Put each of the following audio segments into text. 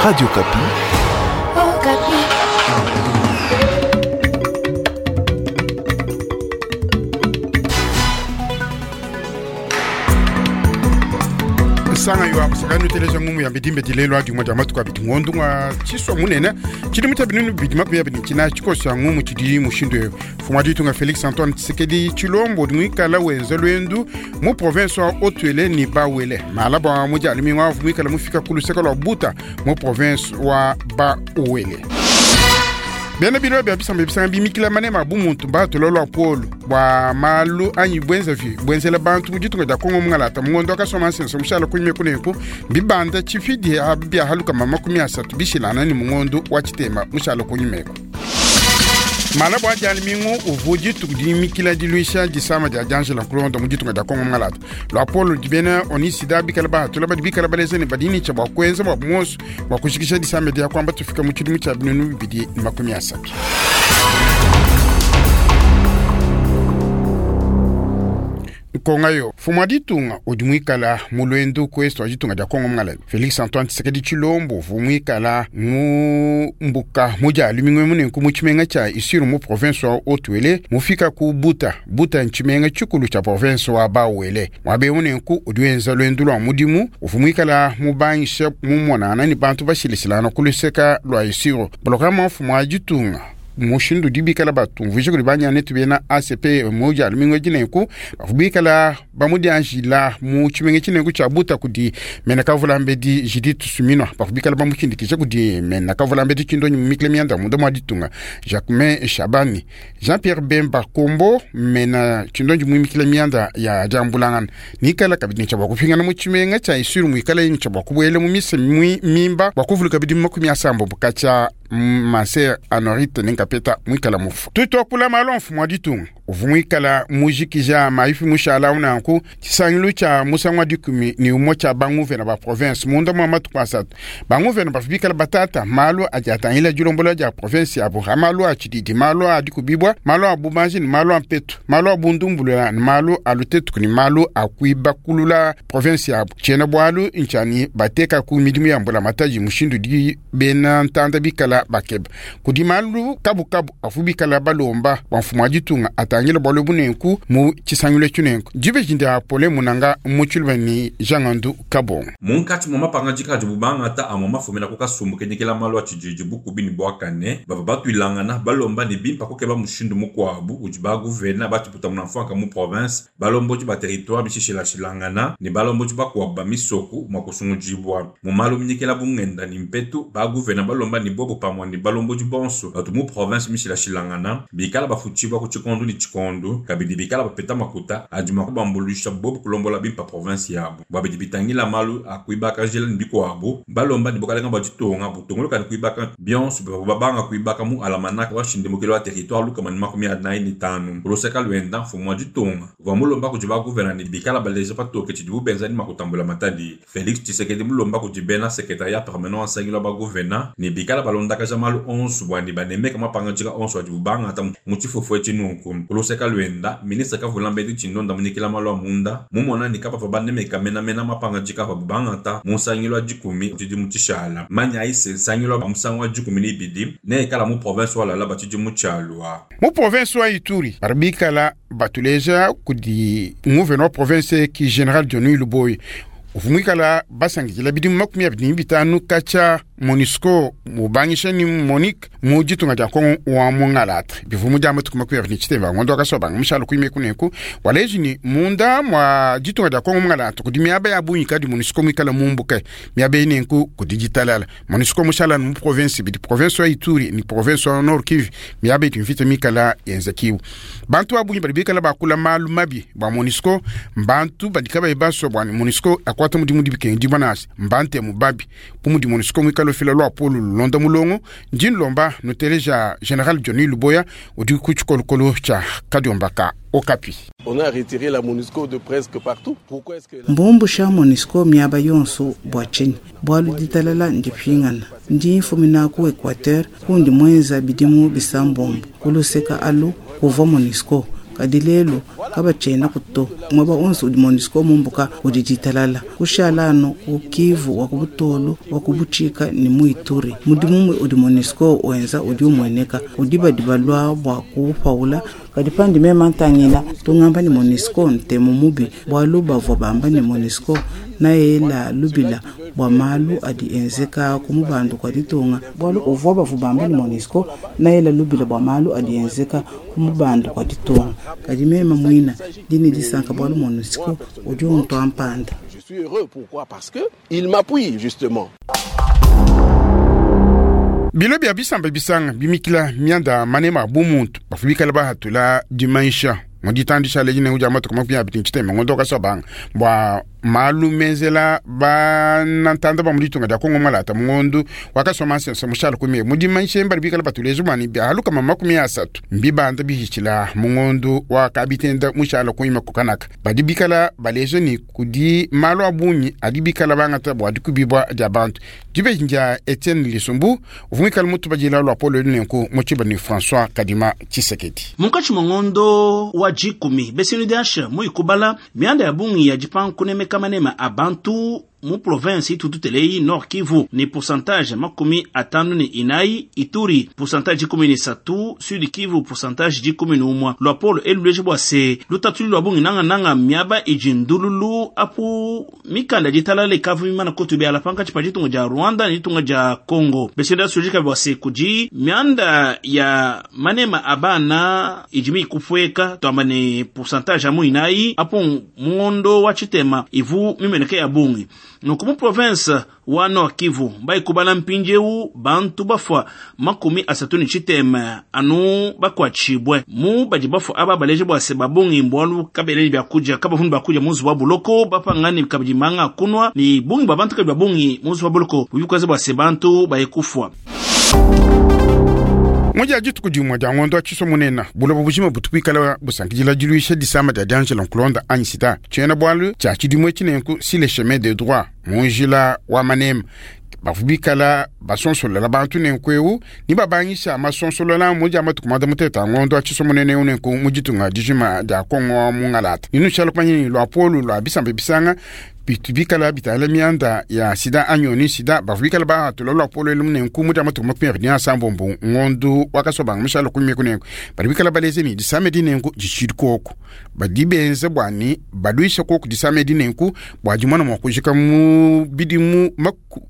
Radio Okapi. Okapi. Sanga yo akusaka nuteleja ngumu ya bidimbe dilelo adi mwa matuku abidi ngondu ngwa chiswa munene chidi muta binunu bidi makumi abidi china chikosa ngumu chidi mushindu eyo mfumu wa ditunga Felix Antoine Tshisekedi Tshilombo mwikala wenza lwendu mu province wa Haut-Uele ni Bas-Uele mala bwa muja alimi wavu mwikala mufika ku luseka lwa Buta mu province wa Bas-Uele. Bena bilo bia bisamba bisanga bimikila manema bu muntu batolo lwa polo bwa malu anyi bwenza vi bwenzela bantu mu ditunga dia Kongo mungalata mungondo akasoma nsenso mushala kunyime kunenku bibanda chifidi bia haluka mama 30 bishilana ni mungondo wa chitema mushala kunyimeko. Mala bwa jali mingu uvuji tukudimikila diluisha disama dia Angela Nkulonda mu ditunga dia Kongo mungalata. Lwa polo dibena onisida bikala ba tola badi bikala baleze ne badini cha bwa kwenza bwa moso bwa kushikisha disama dia kwamba tufika mu chidimu cha binunu bibidi ni 30. Konga yo mfumu wa ditunga udi muikala mu lwendu ku est wa ditunga dia Kongo mungalala. Felix Antoine Tshisekedi Tshilombo uvua muikala mu mbuka mudia lumingu munenku mu tshimenga tshia Isiro mu province wa Haut-Uele mufika ku Buta. Buta ntshimenga tshikulu tshia province wa Bas-Uele. Muabe munenku udi wenza lwendu lua mudimu uvua muikala mubangisha mumonana ni bantu bashilishilana ku luseka lua Isiro. Programme wa mfumu wa ditunga mushindu dibikala batumvuije kudi banyane tubena ACP moja lumingo jinenku bavubikala bamudianjila mu tshimenga tshinenku tshia Buta kudi mena kavula mbedi Judith Suminwa bavubikala bamushindikisha kudi mena kavula mbedi chindonyi mumikile mianda munda mwa ditunga Jacquemain Shabani Jean-Pierre Bemba Kombo mena chindonyi mumikile mianda ya jambulangana nikala kabidi ncha bwa kupingana mu tshimenga tshia Isiro muikala ncha bwa kubwele mu mise mimba bwa kuvuluka bidi 30 bukacha Maser Anorite ninkapeta mwikala mufu. Tutwakula malo mfumu wa ditunga. Uvu mwikala mujikija maifi mushala unanku chisangilu cha musangwa dikumi ni umo cha banguvena ba province munda mwa matuku asatu. Banguvena bafibikala batata malo ajatangila julombola ja province ya Buha malo achididi malo adikubibwa malo abubanji ni malo ampetu malo abundumbulula ni malo alutetu ni malo akuiba kulula province ya Chena bwalu nchani bateka ku midimu ya mbula mataji mushindu di bena ntanda bikala bakeba. Kudi malu kabu kabu afubikala balomba wa mfumu wa ditunga atangila bwalo bunenku mu chisangilu tshunenku. Jibe jindi apole munanga muchulwe ni Jangandu Kabongo. Munkatshi mwa mapangajika adi bubangata amwa mafumina ku kasumbu kenyekela malu a tshididi bukubi ne bwakane bavua batuilangana balomba ne bimpa kukeba mushindu mukuabu udi baguvena batiputa muna mfuanka mu province balombodi ba territoire bishishilashilangana ne balombodi bakuabu ba misoku mwa kusungudibwa mu malu minyekela bungenda ne mpetu baguvena balomba ne bobo pamue ne balombodi bonso batu mu province mishilashilangana bikala bafutshibwa ku tshikondu ne tshikondu kabidi bikala bapeta makuta adi mua kubambuluisha bobo kulombola bimpa province yabo bua bidi bitangila malu a kuibaka njila ne bikuabu balomba ne bukalenga bua ditunga butunguluka ne kuibaka bionso bavua babanga kuibaka mu alamanaka wa nshindimukilo wa territoire lukama ne 45. Kuluseka luenda mfumu wa ditunga uvua mulomba kudi baguvena ne bikala baleja patoke tshidibu benza ne makutambula matadi. Felix Tshisekedi mulomba kudi bena secrétariat permanent wa nsangilu wa baguvena ne bikala balondakaja malu onso bua ne banemeka mapangadika onso adibu bangata mu tshifufu etshi nunku. Kuluseka luenda ministre kavula mbedi tshindonda munyikila malu a munda mumona ne kapapa banemeka menamena mapangadika apabu bangata mu nsangilu wa dikumi tshidi mu tshishala. Manya aise nsangilu wa musangu wa dikumi ne ibidi ne ekala mu province wa Lualaba tshidi mu tshialua. Mu province wa Ituri baribikala batuleja kudi gouverneur wa province ki General Johnny Luboyi. Uvumwikala basangijila bidimu 25 kacha MONUSCO mubangisha ni Monique mu ditunga dia Kongo wa mungalata. Bivumu dia matuku 25 ngondo akasoba mushala kuime kuneku waleji ni munda mwa ditunga dia Kongo mungalata kudi miaba ya bunyi kadi MONUSCO mwikala mumbuke miaba inenku ku digitalala. MONUSCO mushala mu province bidi province wa Ituri ni province wa Nord Kivu miaba itu mvita mikala yenzakiwu. Bantu abunyi bali bikala bakula malu mabi bwa MONUSCO mbantu badikaba ibaso bwa MONUSCO akwata mudimu dibike ndibanasi mbante mubabi pumudi MONUSCO mwikala fila lwa polu londa mulongo njin lomba nuteleja General Johnny Luboya udi ku tshikolokolo tshia Kadiombaka Okapi. On a retiré la MONUSCO de presque partout. Pourquoi est-ce que la Mbumbusha MONUSCO miaba yonso bwa tshinyi bwalu ditalala ndipingana ndi mfumina ku Equateur kundi mwenza bidimu bisambombo kuluseka alu kuvwa MONUSCO Kadi lelu kabatshienaku to. Muaba onso udi MONUSCO mumbuka kudi ditalala. Kushala anu ku Kivu wa ku Butolu, wa ku Butshika ne mu Ituri. Mudimu udi MONUSCO wenza udi umueneka. Kudi badi balua bua kuupawula. Kadi pandi meme ntangila, tungamba ne MONUSCO ntemu mubi, bualu bavua bamba ne MONUSCO naela lubila bua malu adi enzeka ku mubandu kua ditunga. Bualu uvua bavua bamba ne MONUSCO naela lubila bua malu adi enzeka ku mubandu kua ditunga. Kadi meme muina ndi ne disanka bualu MONUSCO udi untua mpanda. Je suis heureux, pourquoi? Parce que il m'appuie justement. Bilo bia bisamba bisanga bimikila mianda manema a bumuntu bavua bikala bahatula dimanyisha mu ditandisha leji nenku dia matuku 23 ngondo wa Kasobanga bua malu menzela banantanda ba mu ditunga dia Kongo Malata mu ngondo wa Kasomansense mushala ku mu dimanyisha badi bikala batuleja bua ne bia 30 mbibanda bihitshila mu ngondo wa Kabitenda mushala kunyima ku Kanaka. Badi bikala baleja ne kudi malu a bungi adi bikala bangata bua dikubibua dia bantu. Dibeji dia Etienne Lisumbu uvua muikale mutubadila luapolo elu nenku mu tshiba ne François Kadima Tshisekedi. Munkatshi mua ngondo wa dikumi, BCNUDH muikubala mianda ya bungi ya dipanga kunemeka manema a bantu mu province itututeleyi Nord Kivu ni pourcentage 54, Ituri pourcentage 13, Sud Kivu pourcentage 11. Luapolo eluleje bua se lutatuli lua bungi nanga nanga miaba idi ndululu apu mikanda ditalala ikavu mimana kutu biala pankatshi pa ditunga dia Rwanda ne ditunga dia Congo. BCNUDH sujika bua se kudi mianda ya manema a bana idi mikupueka tuamba ne pourcentage amu inayi apu muondo wa tshitema ivu mimeneke ya bungi. Nuku mu province wa Nord Kivu baikubala mpindieu bantu bafua 36 anu bakuatshibue mu badi bafua aba baleje bua se babungi mbwalu kabeleli bya kuja kabavundu bakuja muzu wa buloko bapangani kabidi manga kunwa ni bungi ba bantu kabidi babungi muzu wa buloko bubikoze bua se bantu bayekufua. Moja dituku dimue dia ngondo wa tshiso munene buloba bujima butu buikala busankidila diluisha disama dia diangela nkulonda anyi sida. Tshiena bualu tshia tshidimue tshinenku si le chemin de droit mu njila wa manema bavua bikala basonsolola bantu nenku eu ni babangisha masonsolola mu dia matuku manda mutete a ngondo wa tshiso munene eu nenku mu ditunga dijima dia Kongo wa Mungalata. Ninu tshiala kumanya ni luapolu lua bisamba bisanga bitu bikala bitala mianda ya sida anyoni sida bavua bikala bahatula luapolo elu nenku mu dia matuku 29 ngondo wa Kasobanga mushala kunyima kunenku badi bikala baleze ni disame dinenku ditshidi koko badi benza bua ni baluisha koko disame dinenku bua dimona mua kujika mu bidimu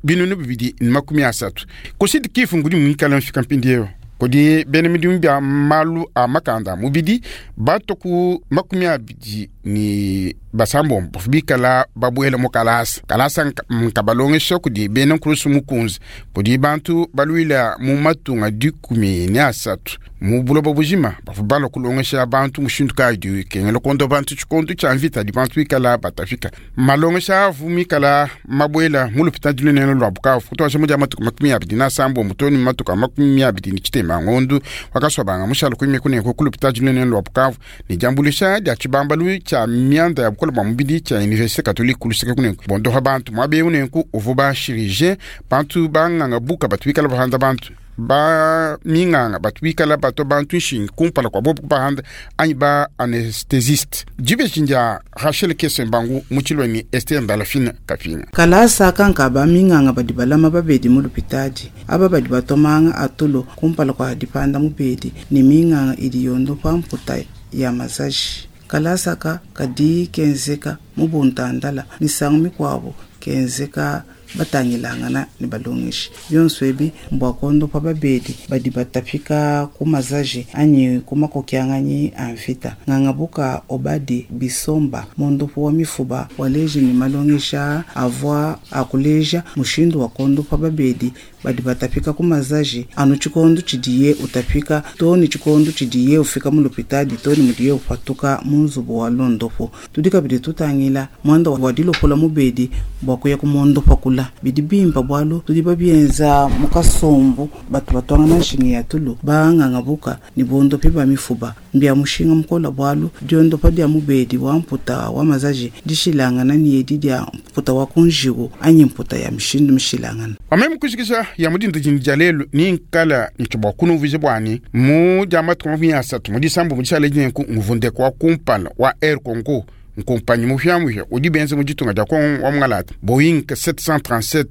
2030. Kusidi kifu ngudi muikala mfika mpindieu kudi bena midimu bia malu a makanda mubidi bato ku 26 bavua bikala babuela mu kalasa. Kalasa nkabalongesha kudi bena nkurusu mukunzi kudi bantu baluila mu matunga 13 mu buloba bujima bavua balua kulongesha bantu mushindu kayi dikengela kondo bantu tshikondo tshia mvita di bantu bikala batafika. Malongesha avu mikala mabuela mu lupitadi lunene lua Bukavu kutwasha mu dia matuku 27 too ne matuku a 27 ngondo wa Kasobanga mushala kunyima kunenku ku lupitadi lunene lua Bukavu ne diambuluisha dia tshibambalu tshia mianda ya bukole bua mubidi tshia Université Catholique kuluseke kunenku bondoha bantu muaba eu nenku uvua ba chirurgien bantu banganga buka batu bikala bahanda bantu ba minganga batu bikala bato bantu nshingi kumpala kua bobu kubahanda anyi ba anesthésiste. Dibeji ndia Rachel Kesembangu mu tshilua ni Esther Ndalafina Kapinga. Kalasa kanka ba minganga badi balama babedi mu lupitadi aba badi batomanga atulo kumpala kua dipanda mubedi ne minganga idi yondo pa mputa ya masaji. Kalasa ka kadi kenzeka mu buntandala misangu mikuabu kenzeka batangilangana ne balongeshi. Bionso ebi mbua kondopa babedi badi batapika ku mazaji anyi ku makokianganyi a mvita. Ngangabuka obadi bisomba mondopo wa mifuba waleji ne malongesha avua akuleja mushindu wa kondopa babedi badi batapika ku mazaji anu tshikondo tshidiye utapika to ne tshikondo tshidiye ufika mu lupitadi to ne mudiye upatuka mu nzubu wa londopo. Tudi kabidi tutangila mwanda wa dilopola mubedi bua kuya ku mondopa kula. mukola. Bidi bimpa bwalu tudi babyenza mu kasumbu batu batwangana nshinga ya tulu banganga buka ni bondopi ba mifuba. Mbya mushinga mukola bwalu dyondopa dya mubedi wa mputa wa mazaji dishilangana ni edi dya mputa wa kunjiwu anyi mputa ya mishindu mishilangana. Pameme kushikisha ya mudinda jindi dia lelu ni nkala nti bua kunumvuija bwani mu dia matuku 30 mu disambu mu dishala dinenku nguvundeko wa kumpala wa Air Congo nkumpanyi muhyamuhya udi benza mu ditunga dia Kongo wa Mungalata Boeing 737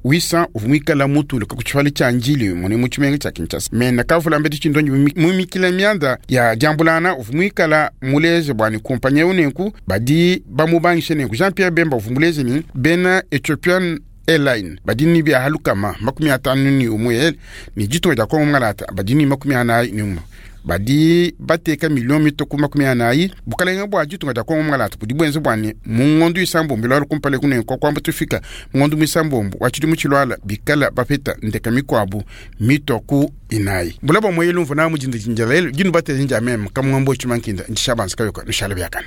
800 uvua muikala mutuluka ku tshifala tshia Ndjili mune mu tshimenga tshia Kinshasa. Mena kavula mbedi tshindonyi mumikila mianda ya diambulana uvua muikala muleje bwani kumpanyi eu nenku badi bamubangishe nenku Jean-Pierre Bemba uvua muleje ni bena Ethiopian Airline badi ni bia halukama 51 ni ditunga dia Kongo Mungalata badi ni 41 badi bateka milioni mituku 40 bukalenga bua ditunga dia Kongo Mungalata budi bwenze bwani mu ngondu isambombo ilwala kumpala kunenko kwamba tufika mu ngondu misambombo wa tshidimu tshilwala bikala bapeta ndeka mikwabu mitoku inayi bulaba moyelu mvuna mujinda jinja lelu jinu bateze nja meme kamwambo chimankinda ndishabanza kayoka nushala byakana.